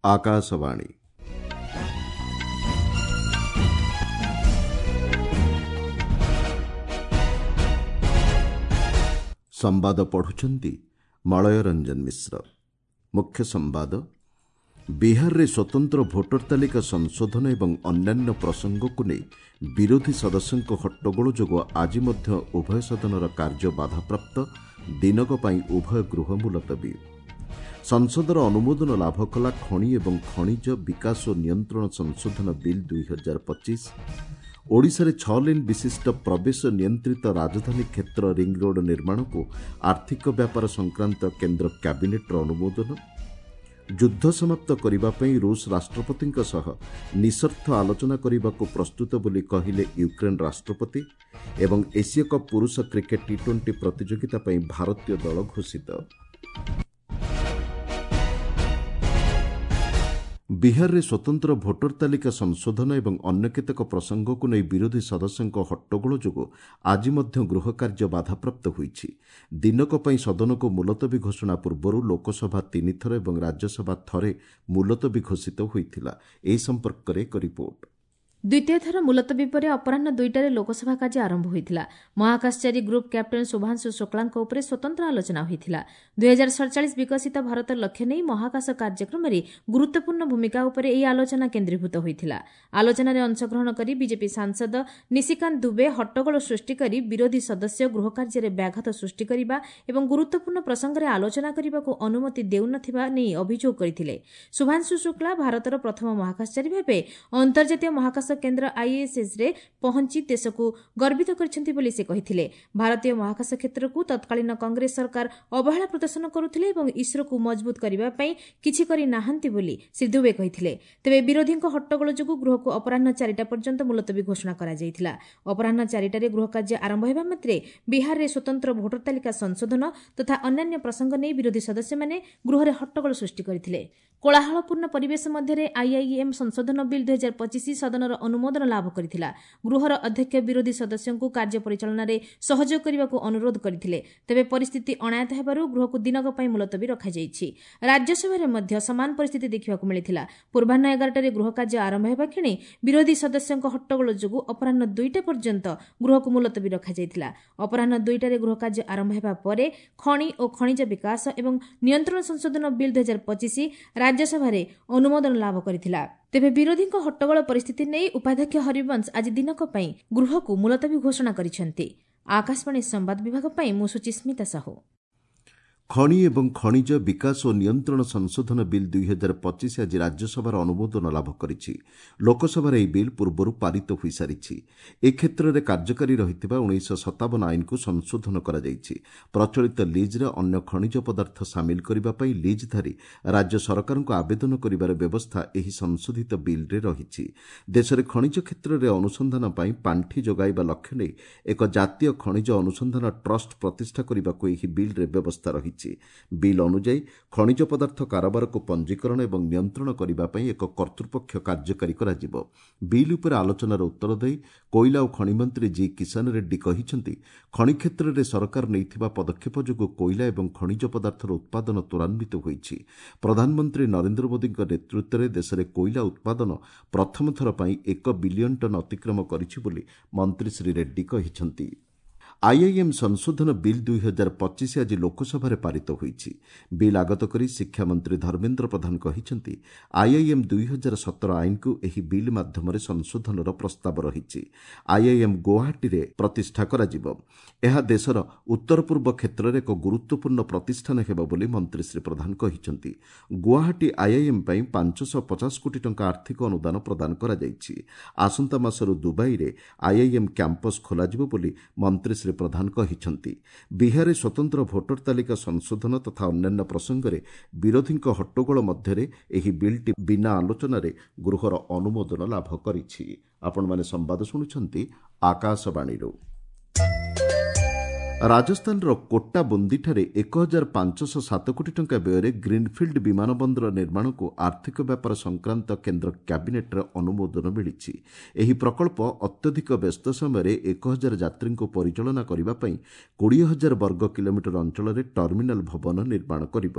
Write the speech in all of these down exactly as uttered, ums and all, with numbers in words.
ଆକାଶବାଣୀ ସମ୍ବାଦ ପଢୁଛନ୍ତି ମଳୟ ରଞ୍ଜନ ମିଶ୍ର। ମୁଖ୍ୟ ସମ୍ବାଦ। ବିହାରରେ ସ୍ୱତନ୍ତ୍ର ଭୋଟର ତାଲିକା ସଂଶୋଧନ ଏବଂ ଅନ୍ୟାନ୍ୟ ପ୍ରସଙ୍ଗକୁ ନେଇ ବିରୋଧୀ ସଦସ୍ୟଙ୍କ ହଟ୍ଟଗୋଳ ଯୋଗୁଁ ଆଜି ମଧ୍ୟ ଉଭୟ ସଦନର କାର୍ଯ୍ୟ ବାଧାପ୍ରାପ୍ତ। ଦିନକ ପାଇଁ ଉଭୟ ଗୃହ ମୁଲତବୀ। ସଂସଦର ଅନୁମୋଦନ ଲାଭ କଲା ଖଣି ଏବଂ ଖଣିଜ ବିକାଶ ଓ ନିୟନ୍ତ୍ରଣ ସଂଶୋଧନ ବିଲ୍ ଦୁଇ ହଜାର ପଚିଶ। ଓଡ଼ିଶାରେ ଛଅ ଲେନ୍ ବିଶିଷ୍ଟ ପ୍ରବେଶ ନିୟନ୍ତ୍ରିତ ରାଜଧାନୀ କ୍ଷେତ୍ର ରିଙ୍ଗରୋଡ୍ ନିର୍ମାଣକୁ ଆର୍ଥିକ ବ୍ୟାପାର ସଂକ୍ରାନ୍ତ କେନ୍ଦ୍ର କ୍ୟାବିନେଟ୍ର ଅନୁମୋଦନ। ଯୁଦ୍ଧ ସମାପ୍ତ କରିବା ପାଇଁ ରୁଷ ରାଷ୍ଟ୍ରପତିଙ୍କ ସହ ନିଃସର୍ତ୍ତ ଆଲୋଚନା କରିବାକୁ ପ୍ରସ୍ତୁତ ବୋଲି କହିଲେ ୟୁକ୍ରେନ୍ ରାଷ୍ଟ୍ରପତି। ଏବଂ ଏସୀୟ କପ୍ ପୁରୁଷ କ୍ରିକେଟ୍ ଟି ଟ୍ୱେଣ୍ଟି ପ୍ରତିଯୋଗିତା ପାଇଁ ଭାରତୀୟ ଦଳ ଘୋଷିତ। ବିହାରରେ ସ୍ୱତନ୍ତ୍ର ଭୋଟର ତାଲିକା ସଂଶୋଧନ ଏବଂ ଅନ୍ୟ କେତେକ ପ୍ରସଙ୍ଗକୁ ନେଇ ବିରୋଧୀ ସଦସ୍ୟଙ୍କ ହଟ୍ଟଗୋଳ ଯୋଗୁଁ ଆଜି ମଧ୍ୟ ଗୃହ କାର୍ଯ୍ୟ ବାଧାପ୍ରାପ୍ତ ହୋଇଛି। ଦିନକ ପାଇଁ ସଦନକୁ ମୁଲତବୀ ଘୋଷଣା ପୂର୍ବରୁ ଲୋକସଭା ତିନିଥର ଏବଂ ରାଜ୍ୟସଭା ଥରେ ମୁଲତବୀ ଘୋଷିତ ହୋଇଥିଲା। ଏ ସମ୍ପର୍କରେ ଏକ ରିପୋର୍ଟ। ଦ୍ୱିତୀୟ ଥର ମୁଲତବୀ ପରେ ଅପରାହ୍ନ ଦୁଇଟାରେ ଲୋକସଭା କାର୍ଯ୍ୟ ଆରମ୍ଭ ହୋଇଥିଲା। ମହାକାଶଚାରୀ ଗ୍ରୁପ୍ କ୍ୟାପ୍ଟେନ୍ ଶୁଭାଂଶୁ ଶୁକ୍ଳାଙ୍କ ଉପରେ ସ୍ୱତନ୍ତ୍ର ଆଲୋଚନା ହୋଇଥିଲା। ଦୁଇହଜାର ସଡ଼ଚାଳିଶ ବିକଶିତ ଭାରତ ଲକ୍ଷ୍ୟ ନେଇ ମହାକାଶ କାର୍ଯ୍ୟକ୍ରମରେ ଗୁରୁତ୍ୱପୂର୍ଣ୍ଣ ଭୂମିକା ଉପରେ ଏହି ଆଲୋଚନା କେନ୍ଦ୍ରୀଭୂତ ହୋଇଥିଲା। ଆଲୋଚନାରେ ଅଂଶଗ୍ରହଣ କରି ବିଜେପି ସାଂସଦ ନିଶିକାନ୍ତ ଦୁବେ ହଟ୍ଟଗୋଳ ସୃଷ୍ଟି କରି ବିରୋଧୀ ସଦସ୍ୟ ଗୃହକାର୍ଯ୍ୟରେ ବ୍ୟାଘାତ ସୃଷ୍ଟି କରିବା ଏବଂ ଗୁରୁତ୍ୱପୂର୍ଣ୍ଣ ପ୍ରସଙ୍ଗରେ ଆଲୋଚନା କରିବାକୁ ଅନୁମତି ଦେଉନଥିବା ନେଇ ଅଭିଯୋଗ କରିଥିଲେ। ଶୁଭାଂଶୁ ଶୁକ୍ଳା ଭାରତର ପ୍ରଥମ ମହାକାଶଚାରୀ ଭାବେ ଅନ୍ତର୍ଜାତୀୟ ମହାକାଶ କେନ୍ଦ୍ର ଆଇଏସ୍ଏସ୍ରେ ପହଞ୍ଚି ଦେଶକୁ ଗର୍ବିତ କରିଛନ୍ତି ବୋଲି ସେ କହିଥିଲେ। ଭାରତୀୟ ମହାକାଶ କ୍ଷେତ୍ରକୁ ତତ୍କାଳୀନ କଂଗ୍ରେସ ସରକାର ଅବହେଳା ପ୍ରଦର୍ଶନ କରୁଥିଲେ ଏବଂ ଇସ୍ରୋକୁ ମଜବୁତ କରିବା ପାଇଁ କିଛି କରି ନାହାନ୍ତି ବୋଲି ଶ୍ରୀ ଦୁବେ କହିଥିଲେ। ତେବେ ବିରୋଧୀଙ୍କ ହଟ୍ଟଗୋଳ ଯୋଗୁଁ ଗୃହକୁ ଅପରାହ୍ନ ଚାରିଟା ପର୍ଯ୍ୟନ୍ତ ମୁଲତବୀ ଘୋଷଣା କରାଯାଇଥିଲା। ଅପରାହ୍ନ ଚାରିଟାରେ ଗୃହ କାର୍ଯ୍ୟ ଆରମ୍ଭ ହେବା ମାତ୍ରେ ବିହାରରେ ସ୍ୱତନ୍ତ୍ର ଭୋଟର ତାଲିକା ସଂଶୋଧନ ତଥା ଅନ୍ୟାନ୍ୟ ପ୍ରସଙ୍ଗ ନେଇ ବିରୋଧୀ ସଦସ୍ୟମାନେ ଗୃହରେ ହଟ୍ଟଗୋଳ ସୃଷ୍ଟି କରିଥିଲେ। କୋଳାହଳପୂର୍ଣ୍ଣ ପରିବେଶ ମଧ୍ୟରେ ଆଇଆଇଏମ୍ ସଂଶୋଧନ ବିଲ୍ ଦୁଇହଜାର ପଚିଶ ସଦନର ଅନୁମୋଦନ ଲାଭ କରିଥିଲା। ଗୃହର ଅଧ୍ୟକ୍ଷ ବିରୋଧୀ ସଦସ୍ୟଙ୍କୁ କାର୍ଯ୍ୟ ପରିଚାଳନାରେ ସହଯୋଗ କରିବାକୁ ଅନୁରୋଧ କରିଥିଲେ। ତେବେ ପରିସ୍ଥିତି ଅଣାୟତ୍ତ ହେବାରୁ ଗୃହକୁ ଦିନକ ପାଇଁ ମୁଲତବୀ ରଖାଯାଇଛି। ରାଜ୍ୟସଭାରେ ମଧ୍ୟ ସମାନ ପରିସ୍ଥିତି ଦେଖିବାକୁ ମିଳିଥିଲା। ପୂର୍ବାହ୍ନ ଏଗାରଟାରେ ଗୃହ କାର୍ଯ୍ୟ ଆରମ୍ଭ ହେବା କ୍ଷଣି ବିରୋଧୀ ସଦସ୍ୟଙ୍କ ହଟ୍ଟଗୋଳ ଯୋଗୁଁ ଅପରାହ୍ନ ଦୁଇଟା ପର୍ଯ୍ୟନ୍ତ ଗୃହକୁ ମୁଲତବୀ ରଖାଯାଇଥିଲା। ଅପରାହ୍ନ ଦୁଇଟାରେ ଗୃହ କାର୍ଯ୍ୟ ଆରମ୍ଭ ହେବା ପରେ ଖଣି ଓ ଖଣିଜ ବିକାଶ ଏବଂ ନିୟନ୍ତ୍ରଣ ସଂଶୋଧନ ବିଲ୍ ଦୁଇହଜାର ପଚିଶ ରାଜ୍ୟସଭାରେ ଅନୁମୋଦନ ଲାଭ କରିଥିଲା। ତେବେ ବିରୋଧୀଙ୍କ ହଟ୍ଟଗୋଳ ପରିସ୍ଥିତି ନେଇ ଉପାଧ୍ୟକ୍ଷ ହରିବଂଶ ଆଜି ଦିନକ ପାଇଁ ଗୃହକୁ ମୁଲତବୀ ଘୋଷଣା କରିଛନ୍ତି। ଆକାଶବାଣୀ ସମ୍ବାଦ ବିଭାଗ ପାଇଁ ମୁଁ ସୁଚିସ୍ମିତା ସାହୁ। ଖଣି ଏବଂ ଖଣିଜ ବିକାଶ ଓ ନିୟନ୍ତ୍ରଣ ସଂଶୋଧନ ବିଲ୍ ଦୁଇ ହଜାର ପଚିଶ ଆଜି ରାଜ୍ୟସଭାର ଅନୁମୋଦନ ଲାଭ କରିଛି। ଲୋକସଭାରେ ଏହି ବିଲ୍ ପୂର୍ବରୁ ପାରିତ ହୋଇସାରିଛି। ଏ କ୍ଷେତ୍ରରେ କାର୍ଯ୍ୟକାରୀ ରହିଥିବା ଉଣେଇଶହ ସତାବନ ଆଇନକୁ ସଂଶୋଧନ କରାଯାଇଛି। ପ୍ରଚଳିତ ଲିଜ୍ରେ ଅନ୍ୟ ଖଣିଜ ପଦାର୍ଥ ସାମିଲ କରିବା ପାଇଁ ଲିଜ୍ଧାରୀ ରାଜ୍ୟ ସରକାରଙ୍କୁ ଆବେଦନ କରିବାର ବ୍ୟବସ୍ଥା ଏହି ସଂଶୋଧିତ ବିଲ୍ରେ ରହିଛି। ଦେଶରେ ଖଣିଜ କ୍ଷେତ୍ରରେ ଅନୁସନ୍ଧାନ ପାଇଁ ପାଣ୍ଠି ଯୋଗାଇବା ଲକ୍ଷ୍ୟ ନେଇ ଏକ ଜାତୀୟ ଖଣିଜ ଅନୁସନ୍ଧାନ ଟ୍ରଷ୍ଟ ପ୍ରତିଷ୍ଠା କରିବାକୁ ଏହି ବିଲ୍ରେ ବ୍ୟବସ୍ଥା ରହିଛି। ବିଲ୍ ଅନୁଯାୟୀ ଖଣିଜ ପଦାର୍ଥ କାରବାରକୁ ପଞ୍ଜୀକରଣ ଏବଂ ନିୟନ୍ତ୍ରଣ କରିବା ପାଇଁ ଏକ କର୍ତ୍ତୃପକ୍ଷ କାର୍ଯ୍ୟକାରୀ କରାଯିବ। ବିଲ୍ ଉପରେ ଆଲୋଚନାର ଉତ୍ତର ଦେଇ କୋଇଲା ଓ ଖଣି ମନ୍ତ୍ରୀ ଜି କିଷାନ ରେଡ୍ଡୀ କହିଛନ୍ତି, ଖଣି କ୍ଷେତ୍ରରେ ସରକାର ନେଇଥିବା ପଦକ୍ଷେପ ଯୋଗୁଁ କୋଇଲା ଏବଂ ଖଣିଜ ପଦାର୍ଥର ଉତ୍ପାଦନ ତ୍ୱରାନ୍ୱିତ ହୋଇଛି। ପ୍ରଧାନମନ୍ତ୍ରୀ ନରେନ୍ଦ୍ର ମୋଦୀଙ୍କ ନେତୃତ୍ୱରେ ଦେଶରେ କୋଇଲା ଉତ୍ପାଦନ ପ୍ରଥମ ଥର ପାଇଁ ଏକ ବିଲିୟନ ଟନ୍ ଅତିକ୍ରମ କରିଛି ବୋଲି ମନ୍ତ୍ରୀ ଶ୍ରୀ ରେଡ୍ଡୀ କହିଛନ୍ତି। ଆଇଆଇଏମ୍ ସଂଶୋଧନ ବିଲ୍ ଦୁଇ ହଜାର ପଚିଶ ଆଜି ଲୋକସଭାରେ ପାରିତ ହୋଇଛି। ବିଲ୍ ଆଗତ କରି ଶିକ୍ଷାମନ୍ତ୍ରୀ ଧର୍ମେନ୍ଦ୍ର ପ୍ରଧାନ କହିଛନ୍ତି, ଆଇଆଇଏମ୍ ଦୁଇ ହଜାର ସତର ଆଇନକୁ ଏହି ବିଲ୍ ମାଧ୍ୟମରେ ସଂଶୋଧନର ପ୍ରସ୍ତାବ ରହିଛି। ଆଇଆଇଏମ୍ ଗୁଆହାଟୀରେ ପ୍ରତିଷ୍ଠା କରାଯିବ। ଏହା ଦେଶର ଉତ୍ତର ପୂର୍ବ କ୍ଷେତ୍ରରେ ଏକ ଗୁରୁତ୍ୱପୂର୍ଣ୍ଣ ପ୍ରତିଷ୍ଠାନ ହେବ ବୋଲି ମନ୍ତ୍ରୀ ଶ୍ରୀ ପ୍ରଧାନ କହିଛନ୍ତି। ଗୁଆହାଟୀ ଆଇଆଇଏମ୍ ପାଇଁ ପାଞ୍ଚଶହ ପଚାଶ କୋଟି ଟଙ୍କା ଆର୍ଥିକ ଅନୁଦାନ ପ୍ରଦାନ କରାଯାଇଛି। ଆସନ୍ତା ମାସରୁ ଦୁବାଇରେ ଆଇଆଇଏମ୍ କ୍ୟାମ୍ପସ୍ ଖୋଲାଯିବ ବୋଲି ମନ୍ତ୍ରୀ ଶ୍ରୀ ପ୍ରଧାନ କହିଛନ୍ତି। ବିହାରରେ ସ୍ୱତନ୍ତ୍ର ଭୋଟର ତାଲିକା ସଂଶୋଧନ ତଥା ଅନ୍ୟାନ୍ୟ ପ୍ରସଙ୍ଗରେ ବିରୋଧୀଙ୍କ ହଟ୍ଟଗୋଳ ମଧ୍ୟରେ ଏହି ବିଲ୍ଟି ବିନା ଆଲୋଚନାରେ ଗୃହର ଅନୁମୋଦନ ଲାଭ କରିଛି। ଆପଣମାନେ ସମ୍ବାଦ ଶୁଣୁଛନ୍ତି ଆକାଶବାଣୀରୁ। ରାଜସ୍ଥାନର କୋଟା ବୁନ୍ଦିଠାରେ ଏକ ହଜାର ପାଞ୍ଚଶହ ସାତ କୋଟି ଟଙ୍କା ବ୍ୟୟରେ ଗ୍ରୀନ୍ଫିଲ୍ଡ ବିମାନ ବନ୍ଦର ନିର୍ମାଣକୁ ଆର୍ଥିକ ବ୍ୟାପାର ସଂକ୍ରାନ୍ତ କେନ୍ଦ୍ର କ୍ୟାବିନେଟ୍ର ଅନୁମୋଦନ ମିଳିଛି। ଏହି ପ୍ରକଳ୍ପ ଅତ୍ୟଧିକ ବ୍ୟସ୍ତ ସମୟରେ ଏକ ହଜାର ଯାତ୍ରୀଙ୍କୁ ପରିଚାଳନା କରିବା ପାଇଁ କୋଡ଼ିଏ ହଜାର ବର୍ଗ କିଲୋମିଟର ଅଞ୍ଚଳରେ ଟର୍ମିନାଲ ଭବନ ନିର୍ମାଣ କରିବ।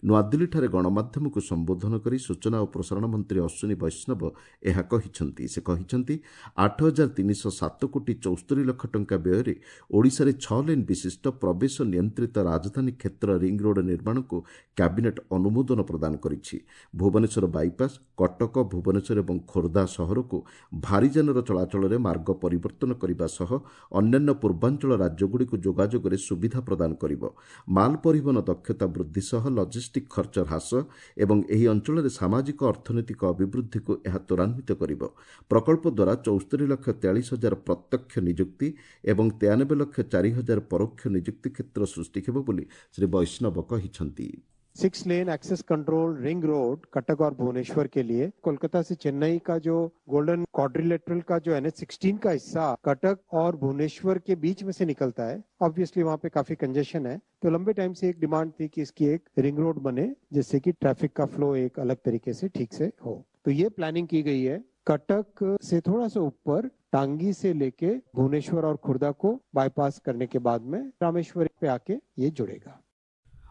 ନୂଆଦିଲ୍ଲୀଠାରେ ଗଣମାଧ୍ୟମକୁ ସମ୍ବୋଧନ କରି ସୂଚନା ଓ ପ୍ରସାରଣ ମନ୍ତ୍ରୀ ଅଶ୍ୱିନୀ ବୈଷ୍ଣବ ଏହା କହିଛନ୍ତି। ସେ କହିଛନ୍ତି, ଆଠ ହଜାର ତିନିଶହ ସାତ କୋଟି ଚଉସ୍ତରୀ ଲକ୍ଷ ଟଙ୍କା ବ୍ୟୟରେ ଓଡ଼ିଶାରେ ଛଅ ଲେନ୍ ବିଶିଷ୍ଟ ପ୍ରବେଶ ନିୟନ୍ତ୍ରିତ ରାଜଧାନୀ କ୍ଷେତ୍ର ରିଂ ରୋଡ୍ ନିର୍ମାଣକୁ କ୍ୟାବିନେଟ୍ ଅନୁମୋଦନ ପ୍ରଦାନ କରିଛି। ଭୁବନେଶ୍ୱର ବାଇପାସ୍, କଟକ, ଭୁବନେଶ୍ୱର ଏବଂ ଖୋର୍ଦ୍ଧା ସହରକୁ ଭାରୀଯାନର ଚଳାଚଳରେ ମାର୍ଗ ପରିବର୍ତ୍ତନ କରିବା ସହ ଅନ୍ୟାନ୍ୟ ପୂର୍ବାଞ୍ଚଳ ରାଜ୍ୟଗୁଡ଼ିକୁ ଯୋଗାଯୋଗରେ ସୁବିଧା ପ୍ରଦାନ କରିବ। ମାଲ ପରିବହନ ଦକ୍ଷତା ବୃଦ୍ଧି ସହ ଲଜିଷ୍ଟିକ୍ ଖର୍ଚ୍ଚ ହ୍ରାସ ଏବଂ ଏହି ଅଞ୍ଚଳରେ ସାମାଜିକ ଅର୍ଥନୈତିକ ଅଭିବୃଦ୍ଧିକୁ ଏହା ତ୍ୱରାନ୍ୱିତ କରିବ। ପ୍ରକଳ୍ପ ଦ୍ୱାରା ଚଉସ୍ତରୀ ଲକ୍ଷ ତେୟାଳିଶ ହଜାର ପ୍ରତ୍ୟକ୍ଷ ନିଯୁକ୍ତି ଏବଂ ତେୟାନବେ ଲକ୍ଷ ଚାରି ହଜାର ପରୋକ୍ଷ ନିଯୁକ୍ତି କ୍ଷେତ୍ର ସୃଷ୍ଟି ହେବ ବୋଲି ଶ୍ରୀ ବୈଷ୍ଣବ କହିଛନ୍ତି। Six lane access control ring road Cuttack और भुवनेश्वर के लिए, कोलकाता से चेन्नई का जो गोल्डन क्वाड्रिलेटरल का जो एन एच सिक्सटीन का हिस्सा कटक और भुवनेश्वर के बीच में से निकलता है, ऑब्वियसली वहाँ पे काफी कंजेशन है, तो लंबे टाइम से एक डिमांड थी कि इसकी एक रिंग रोड बने जिससे कि ट्रैफिक का फ्लो एक अलग तरीके से ठीक से हो। तो ये प्लानिंग की गई है। कटक से थोड़ा सा ऊपर टांगी से लेके भुवनेश्वर और खुर्दा को बाईपास करने के बाद में रामेश्वर पे आके ये जुड़ेगा।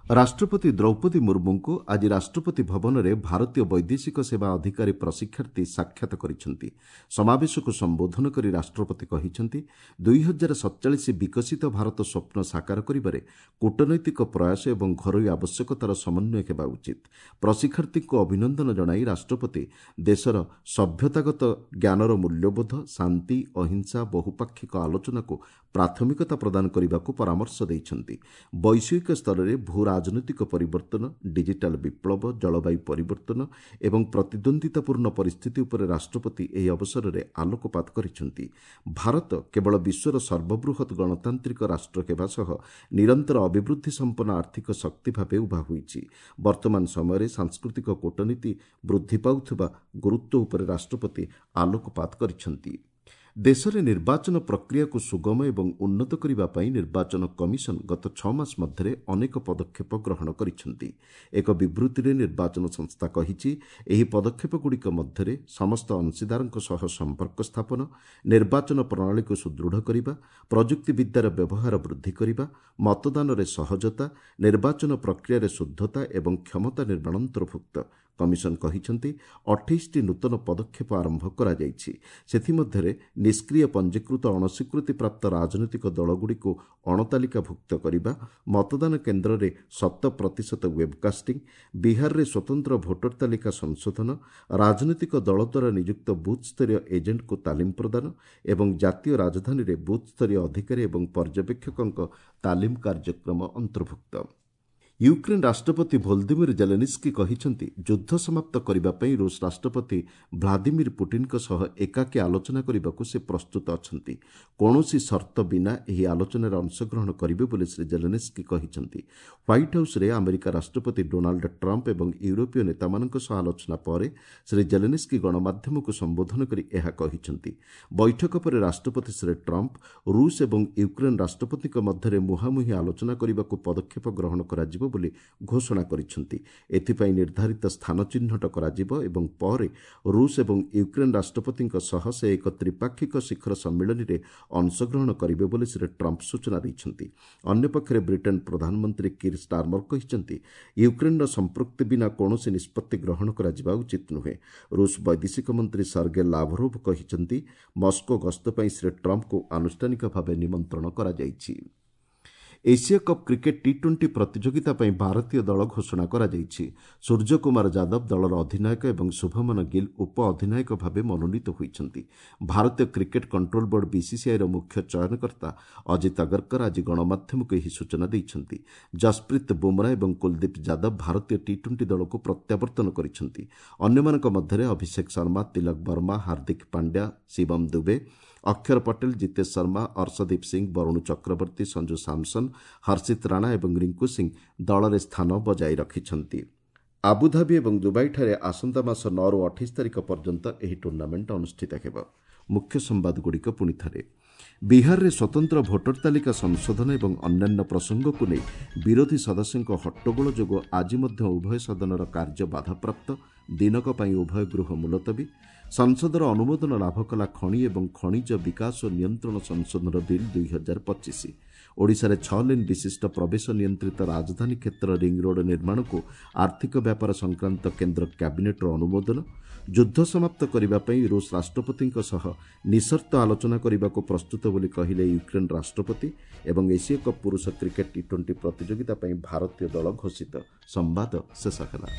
ରାଷ୍ଟ୍ରପତି ଦ୍ରୌପଦୀ ମୁର୍ମୁଙ୍କୁ ଆଜି ରାଷ୍ଟ୍ରପତି ଭବନରେ ଭାରତୀୟ ବୈଦେଶିକ ସେବା ଅଧିକାରୀ ପ୍ରଶିକ୍ଷାର୍ଥୀ ସାକ୍ଷାତ କରିଛନ୍ତି। ସମାବେଶକୁ ସମ୍ବୋଧନ କରି ରାଷ୍ଟ୍ରପତି କହିଛନ୍ତି, ଦୁଇ ହଜାର ସତଚାଳିଶ ବିକଶିତ ଭାରତ ସ୍ୱପ୍ନ ସାକାର କରିବାରେ କୂଟନୈତିକ ପ୍ରୟାସ ଏବଂ ଘରୋଇ ଆବଶ୍ୟକତାର ସମନ୍ୱୟ ହେବା ଉଚିତ। ପ୍ରଶିକ୍ଷାର୍ଥୀଙ୍କୁ ଅଭିନନ୍ଦନ ଜଣାଇ ରାଷ୍ଟ୍ରପତି ଦେଶର ସଭ୍ୟତାଗତ ଜ୍ଞାନର ମୂଲ୍ୟବୋଧ, ଶାନ୍ତି, ଅହିଂସା, ବହୁପାକ୍ଷିକ ଆଲୋଚନାକୁ ପ୍ରାଥମିକତା ପ୍ରଦାନ କରିବାକୁ ପରାମର୍ଶ ଦେଇଛନ୍ତି। ବୈଷୟିକ ସ୍ତରରେ ଭୂ ରାଜନୈତିକ ପରିବର୍ତ୍ତନ, ଡିଜିଟାଲ ବିପ୍ଳବ, ଜଳବାୟୁ ପରିବର୍ତ୍ତନ ଏବଂ ପ୍ରତିଦ୍ୱନ୍ଦ୍ୱିତାପୂର୍ଣ୍ଣ ପରିସ୍ଥିତି ଉପରେ ରାଷ୍ଟ୍ରପତି ଏହି ଅବସରରେ ଆଲୋକପାତ କରିଛନ୍ତି। ଭାରତ କେବଳ ବିଶ୍ୱର ସର୍ବବୃହତ୍ ଗଣତାନ୍ତ୍ରିକ ରାଷ୍ଟ୍ର ହେବା ସହ ନିରନ୍ତର ଅଭିବୃଦ୍ଧି ସମ୍ପନ୍ନ ଆର୍ଥିକ ଶକ୍ତି ଭାବେ ଉଭା ହୋଇଛି। ବର୍ତ୍ତମାନ ସମୟରେ ସାଂସ୍କୃତିକ କୂଟନୀତି ବୃଦ୍ଧି ପାଉଥିବା ଗୁରୁତ୍ୱ ଉପରେ ରାଷ୍ଟ୍ରପତି ଆଲୋକପାତ କରିଛନ୍ତି। ଦେଶରେ ନିର୍ବାଚନ ପ୍ରକ୍ରିୟାକୁ ସୁଗମ ଏବଂ ଉନ୍ନତ କରିବା ପାଇଁ ନିର୍ବାଚନ କମିଶନ ଗତ ଛଅ ମାସ ମଧ୍ୟରେ ଅନେକ ପଦକ୍ଷେପ ଗ୍ରହଣ କରିଛନ୍ତି। ଏକ ବିବୃତ୍ତିରେ ନିର୍ବାଚନ ସଂସ୍ଥା କହିଛି, ଏହି ପଦକ୍ଷେପଗୁଡ଼ିକ ମଧ୍ୟରେ ସମସ୍ତ ଅଂଶୀଦାରଙ୍କ ସହ ସମ୍ପର୍କ ସ୍ଥାପନ, ନିର୍ବାଚନ ପ୍ରଣାଳୀକୁ ସୁଦୃଢ଼ କରିବା, ପ୍ରଯୁକ୍ତିବିଦ୍ୟାର ବ୍ୟବହାର ବୃଦ୍ଧି କରିବା, ମତଦାନରେ ସହଜତା, ନିର୍ବାଚନ ପ୍ରକ୍ରିୟାରେ ଶୁଦ୍ଧତା ଏବଂ କ୍ଷମତା ନିର୍ମାଣ ଅନ୍ତର୍ଭୁକ୍ତ। କମିଶନ କହିଛନ୍ତି, ଅଠେଇଶଟି ନୂତନ ପଦକ୍ଷେପ ଆରମ୍ଭ କରାଯାଇଛି। ସେଥିମଧ୍ୟରେ ନିଷ୍କ୍ରିୟ ପଞ୍ଜୀକୃତ ଅଣସ୍ୱୀକୃତିପ୍ରାପ୍ତ ରାଜନୈତିକ ଦଳଗୁଡ଼ିକୁ ଅଣତାଲିକାଭୁକ୍ତ କରିବା, ମତଦାନ କେନ୍ଦ୍ରରେ ଶତ ପ୍ରତିଶତ ୱେବକାଷ୍ଟିଂ, ବିହାରରେ ସ୍ୱତନ୍ତ୍ର ଭୋଟର ତାଲିକା ସଂଶୋଧନ, ରାଜନୈତିକ ଦଳ ଦ୍ୱାରା ନିଯୁକ୍ତ ବୁଥ୍ସ୍ତରୀୟ ଏଜେଣ୍ଟଙ୍କୁ ତାଲିମ ପ୍ରଦାନ ଏବଂ ଜାତୀୟ ରାଜଧାନୀରେ ବୁଥ୍ସ୍ତରୀୟ ଅଧିକାରୀ ଏବଂ ପର୍ଯ୍ୟବେକ୍ଷକଙ୍କ ତାଲିମ କାର୍ଯ୍ୟକ୍ରମ ଅନ୍ତର୍ଭୁକ୍ତ। ୟୁକ୍ରେନ୍ ରାଷ୍ଟ୍ରପତି ଭୋଲଦିମିର ଜେଲେନିସ୍କି କହିଛନ୍ତି, ଯୁଦ୍ଧ ସମାପ୍ତ କରିବା ପାଇଁ ରୁଷ ରାଷ୍ଟ୍ରପତି ଭ୍ଲାଦିମିର ପୁଟିନ୍ଙ୍କ ସହ ଏକାକୀ ଆଲୋଚନା କରିବାକୁ ସେ ପ୍ରସ୍ତୁତ ଅଛନ୍ତି। କୌଣସି ସର୍ତ୍ତ ବିନା ଏହି ଆଲୋଚନାରେ ଅଂଶଗ୍ରହଣ କରିବେ ବୋଲି ଶ୍ରୀ ଜେଲେନିସ୍କି କହିଛନ୍ତି। ହ୍ୱାଇଟ୍ ହାଉସ୍ରେ ଆମେରିକା ରାଷ୍ଟ୍ରପତି ଡୋନାଲ୍ଡ ଟ୍ରମ୍ପ ଏବଂ ୟୁରୋପୀୟ ନେତାମାନଙ୍କ ସହ ଆଲୋଚନା ପରେ ଶ୍ରୀ ଜେଲେନିସ୍କି ଗଣମାଧ୍ୟମକୁ ସମ୍ବୋଧନ କରି ଏହା କହିଛନ୍ତି। ବୈଠକ ପରେ ରାଷ୍ଟ୍ରପତି ଶ୍ରୀ ଟ୍ରମ୍ପ ରୁଷ ଏବଂ ୟୁକ୍ରେନ୍ ରାଷ୍ଟ୍ରପତିଙ୍କ ମଧ୍ୟରେ ମୁହାଁମୁହିଁ ଆଲୋଚନା କରିବାକୁ ପଦକ୍ଷେପ ଗ୍ରହଣ କରାଯିବ ବୋଲି ଘୋଷଣା କରିଛନ୍ତି। ଏଥିପାଇଁ ନିର୍ଦ୍ଧାରିତ ସ୍ଥାନ ଚିହ୍ନଟ କରାଯିବ ଏବଂ ପରେ ରୁଷ ଏବଂ ୟୁକ୍ରେନ୍ ରାଷ୍ଟ୍ରପତିଙ୍କ ସହ ସେ ଏକ ତ୍ରିପାକ୍ଷିକ ଶିଖର ସମ୍ମିଳନୀରେ ଅଂଶଗ୍ରହଣ କରିବେ ବୋଲି ଶ୍ରୀ ଟ୍ରମ୍ପ ସୂଚନା ଦେଇଛନ୍ତି। ଅନ୍ୟପକ୍ଷରେ ବ୍ରିଟେନ୍ ପ୍ରଧାନମନ୍ତ୍ରୀ କିର୍ ଷ୍ଟାର୍ମର କହିଛନ୍ତି, ୟୁକ୍ରେନ୍ର ସମ୍ପୃକ୍ତି ବିନା କୌଣସି ନିଷ୍ପତ୍ତି ଗ୍ରହଣ କରାଯିବା ଉଚିତ ନୁହେଁ। ରୁଷ ବୈଦେଶିକ ମନ୍ତ୍ରୀ ସର୍ଗେ ଲାଭରୋଭ କହିଛନ୍ତି, ମସ୍କୋ ଗସ୍ତ ପାଇଁ ଶ୍ରୀ ଟ୍ରମ୍ପଙ୍କୁ ଆନୁଷ୍ଠାନିକ ଭାବେ ନିମନ୍ତ୍ରଣ କରାଯାଇଛି। Asia cup cricket T twenty ପ୍ରତିଯୋଗିତା ପାଇଁ ଭାରତୀୟ ଦଳ ଘୋଷଣା କରାଯାଇଛି। ସୂର୍ଯ୍ୟକୁମାର ଯାଦବ ଦଳର ଅଧିନାୟକ ଏବଂ ଶୁଭମନ ଗିଲ୍ ଉପ ଅଧିନାୟକ ଭାବେ ମନୋନୀତ ହୋଇଛନ୍ତି। ଭାରତୀୟ କ୍ରିକେଟ୍ କଣ୍ଟ୍ରୋଲ ବୋର୍ଡ ବିସିସିଆଇର ମୁଖ୍ୟ ଚୟନକର୍ତ୍ତା ଅଜିତ ଅଗରକର ଆଜି ଗଣମାଧ୍ୟମକୁ ଏହି ସୂଚନା ଦେଇଛନ୍ତି। ଜସପ୍ରୀତ ବୁମରା ଏବଂ କୁଲଦୀପ ଯାଦବ ଭାରତୀୟ ଟି ଟ୍ୱେଣ୍ଟି ଦଳକୁ ପ୍ରତ୍ୟାବର୍ତ୍ତନ କରିଛନ୍ତି। ଅନ୍ୟମାନଙ୍କ ମଧ୍ୟରେ ଅଭିଷେକ ଶର୍ମା, ତିଲକ ବର୍ମା, ହାର୍ଦ୍ଦିକ ପାଣ୍ଡ୍ୟା, ଶିବମ ଦୁବେ, ଅକ୍ଷର ପଟେଲ, ଜିତେଶ ଶର୍ମା, ଅର୍ଶଦୀପ ସିଂ, ବରୁଣ ଚକ୍ରବର୍ତ୍ତୀ, ସଞ୍ଜୁ ସାମସନ, ହର୍ଷିତ ରାଣା ଏବଂ ରିଙ୍କୁ ସିଂ ଦଳରେ ସ୍ଥାନ ବଜାୟ ରଖିଛନ୍ତି। ଆବୁଧାବି ଏବଂ ଦୁବାଇଠାରେ ଆସନ୍ତା ମାସ ନଅରୁ ଅଠେଇଶ ତାରିଖ ପର୍ଯ୍ୟନ୍ତ ଏହି ଟୁର୍ଣ୍ଣାମେଣ୍ଟ ଅନୁଷ୍ଠିତ ହେବ। ମୁଖ୍ୟ ସମ୍ବାଦଗୁଡ଼ିକ ପୁଣି ଥରେ। ବିହାରରେ ସ୍ୱତନ୍ତ୍ର ଭୋଟର ତାଲିକା ସଂଶୋଧନ ଏବଂ ଅନ୍ୟାନ୍ୟ ପ୍ରସଙ୍ଗକୁ ନେଇ ବିରୋଧୀ ସଦସ୍ୟଙ୍କ ହଟ୍ଟଗୋଳ ଯୋଗୁଁ ଆଜି ମଧ୍ୟ ଉଭୟ ସଦନର କାର୍ଯ୍ୟ ବାଧାପ୍ରାପ୍ତ। ଦିନକ ପାଇଁ ଉଭୟ ଗୃହ ମୁଲତବୀ। ସଂସଦର ଅନୁମୋଦନ ଲାଭ କଲା ଖଣି ଏବଂ ଖଣିଜ ବିକାଶ ଓ ନିୟନ୍ତ୍ରଣ ସଂଶୋଧନ ବିଲ୍ ଦୁଇ ହଜାର ପଚିଶ। ଓଡ଼ିଶାରେ ଛଅ ଲେନ୍ ବିଶିଷ୍ଟ ପ୍ରବେଶ ନିୟନ୍ତ୍ରିତ ରାଜଧାନୀ କ୍ଷେତ୍ର ରିଙ୍ଗରୋଡ୍ ନିର୍ମାଣକୁ ଆର୍ଥିକ ବ୍ୟାପାର ସଂକ୍ରାନ୍ତ କେନ୍ଦ୍ର କ୍ୟାବିନେଟ୍ର ଅନୁମୋଦନ। ଯୁଦ୍ଧ ସମାପ୍ତ କରିବା ପାଇଁ ରୁଷ ରାଷ୍ଟ୍ରପତିଙ୍କ ସହ ନିଃସର୍ତ୍ତ ଆଲୋଚନା କରିବାକୁ ପ୍ରସ୍ତୁତ ବୋଲି କହିଲେ ୟୁକ୍ରେନ୍ ରାଷ୍ଟ୍ରପତି। ଏବଂ ଏସୀୟ କପ୍ ପୁରୁଷ କ୍ରିକେଟ୍ ଟି ଟ୍ୱେଣ୍ଟି ପ୍ରତିଯୋଗିତା ପାଇଁ ଭାରତୀୟ ଦଳ ଘୋଷିତ। ସମ୍ବାଦ ଶେଷ ହେଲା।